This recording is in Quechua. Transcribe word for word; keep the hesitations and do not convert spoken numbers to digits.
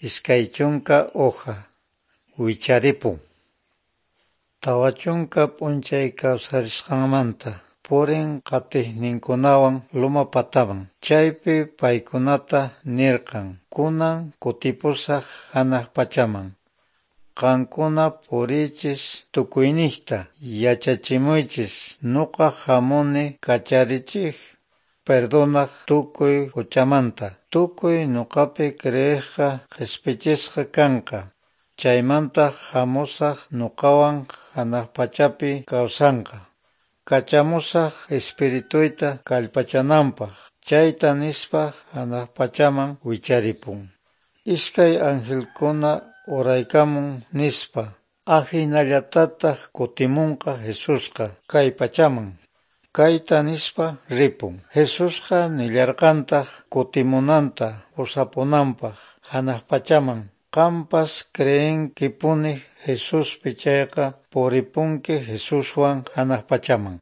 Iskay chunka hoja wicharipun. Tawa chunka p'unchay kawsarisqanmanta purin qatiqninkunawan loma pataman. Chaypi paykunata nirqan: Kunan kutipusaq hanaq pachaman. Qankuna puriychis tukuyniqta, yachachimuychis nuqa hamuni kacharichiq perdonaq tukuy huchamanta. Tukuy nuqapi creeqqa qhispichisqa kanqa. Chaymanta hamusaq nuqawan hanaq pachapi kawsanqa. Kachamusaq Espirituyta kallpachananpaq. Chayta nispa hanaq pachaman wicharipun. Iskay angelkuna uraykamun nispa ahinallatataq kutimunqa Jesusqa kay pachaman. Kayta nispa ripun. Jesusqa nillarqantaq kutimunanta pusapunanpaq hanaq pachaman. Qampas creenkipuni Jesuspi chayqa puripunki Jesuswan hanaq pachaman.